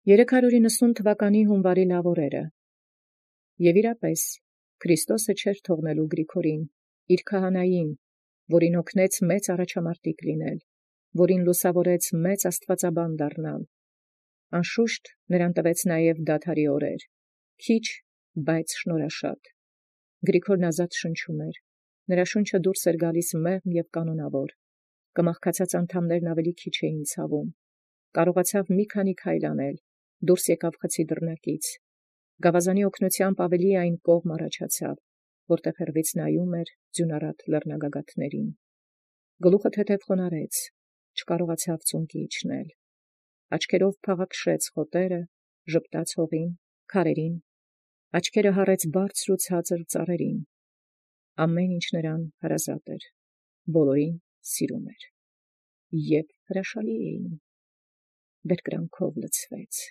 390 թվականի հունվարի լավ օրերը։ Եվ իրապես Քրիստոսը չէր թողնելու Գրիգորին, իր քահանային, որին օգնեց մեծ առաջամարտիկ լինել, որին լուսավորեց մեծ աստվածաբան դառնալ։ Անշուշտ նրան տվեց նաև դադարի օրեր, քիչ, բայց շնորհաշատ։ Գրիգորն ազատ շնչում էր, նրա շունչը դուրս էր գալիս մեղմ և կանոնավոր, կմախքացած անդամներն ավելի քիչ էին ցավում, կարողացավ մի քանի քայլ անել, դուրս եկավ խցի դռնակից, գավազանի օգնությամբ ավելի այն կողմ առաջացավ, որտեղ հեռվից նայում էր ձյունառատ լեռնագագաթներին, գլուխը թեթև խոնարհեց, չկարողացավ ծունկի իջնել, աչքերով փաղաքշեց խոտերը, ժպտաց հողին, քարերին, աչքերը հառեց բարձր ու ցածր ծառերին, ամեն ինչ նրան հարազատ էր, բոլորին սիրում էր, և հրաշալի էին, բերկրանքով լցվեց,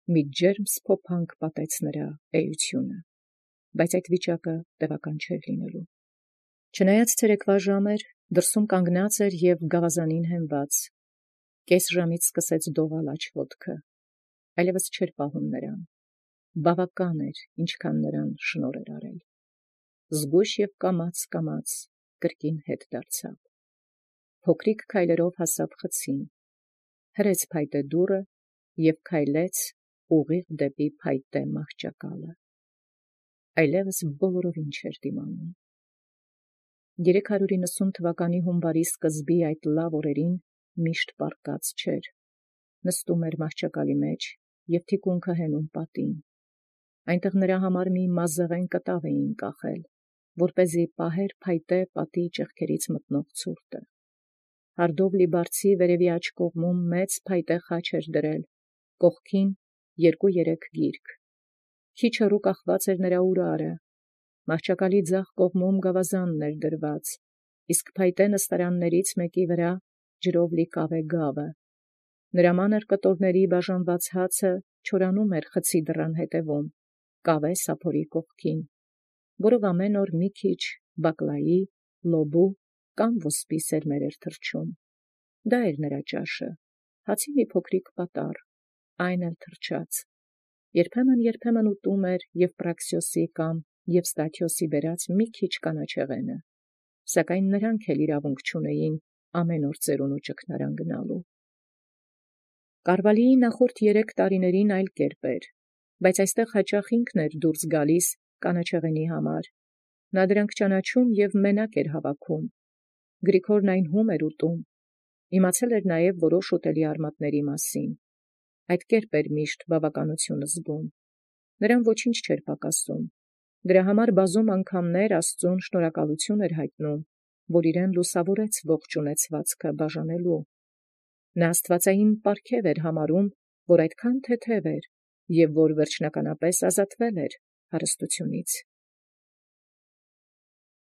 մի ջերմ սփոփանք պատեց նրա էությունը, բայց այդ վիճակը տևական չէր լինելու, չնայած ցերեկվա ժամ էր, դրսում կանգնած էր և գավազանին հենված, կես ժամից սկսեց դողալ աջ ոտքը, այլևս չէր պահում նրան, բավական էր, ինչքան նրան շնորհ էր արել, զգույշ և կամաց կրկին հետ դարձավ, փոքրիկ քայլերով հասավ խցին, հրեց փայտե դուռը և քայլեց ուղիղ դեպի փայտե մահճակալը, այլևս բոլորովին չէր դիմանում։ 390 թվականի հունվարի սկզբի այդ լավ օրերին միշտ պառկած չէր, նստում էր մահճակալի մեջ և թիկունքը հենում պատին, այնտեղ նրա համար մի մազեղեն կտավ էին կախել, որպեսզի պահեր փայտե պատի ճեղքերից մտնող ցուրտը, հարդով լի բարձի վերևի աջ կողմում մեծ փայտե խաչ էր դրել, կողքին 2-3 գիրք, քիչ հեռու կախված էր նրա ուրարը, մահճակալի ձախ կողմում գավազանն էր դրված, իսկ փայտե նստարաններից մեկի վրա ջրով լի կավե գավը, նրա մանր կտորների բաժանված հացը չորանում էր խցի դռան հետևում, կավե սափորի կողքին, որով ամեն օր մի քիչ բակլայի, լոբու կամ ոսպի սերմեր էր թռչում, դա էր նրա ճաշը, հացի մի փոքրիկ պատառ, այն էլ թռչած, երբեմն ուտում էր Եվպրաքսիոսի կամ Եվստաթիոսի բերած մի քիչ կանաչեղենը, սակայն նրանք էլ իրավունք չունեին ամեն օր ծերունու ճգնարան գնալու։ Կարվալիի նախորդ 3 տարիներին այլ կերպ էր, բայց այստեղ հաճախ ինքն էր դուրս գալիս կանաչեղենի համար, նա դրանք ճանաչում և մենակ էր հավաքում, Գրիգորն այն հում էր ուտում, իմացել էր նաև որոշ ուտելի արմատների մասին, այդ կերպ էր միշտ բավականություն զգում, նրան ոչինչ չէր պակասում, դրա համար բազում անգամներ Աստծուն շնորհակալություն էր հայտնում, որ իրեն լուսավորեց ողջ ունեցվածքը բաժանելու, նա աստվածային պարգև էր համարում, որ այդքան թեթև էր և որ վերջնականապես ազատվել էր հարստությունից։